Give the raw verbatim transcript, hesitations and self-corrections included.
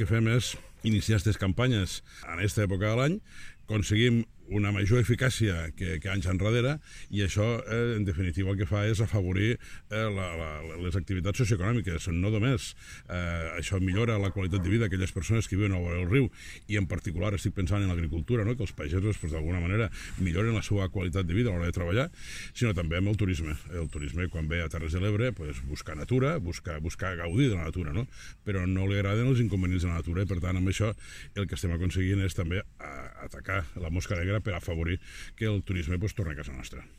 El que fem és iniciar aquestes campanyes en aquesta època de l'any, aconseguim una major eficàcia que, que anys enrere, i això, eh, en definitiva, el que fa és afavorir eh, la, la, les activitats socioeconòmiques. No només eh, això millora la qualitat de vida d'aquelles persones que viuen a vora del riu, i en particular estic pensant en l'agricultura, no? Que els pagesos, pues, d'alguna manera, milloren la seva qualitat de vida a l'hora de treballar, sinó també amb el turisme. El turisme, quan ve a Terres de l'Ebre, pues, busca natura, busca, busca gaudir de la natura, no? Però no li agraden els inconvenients de la natura, i per tant, amb això el que estem aconseguint és també atacar la mosca negra per afavorir que el turisme pues, torni a casa nostra.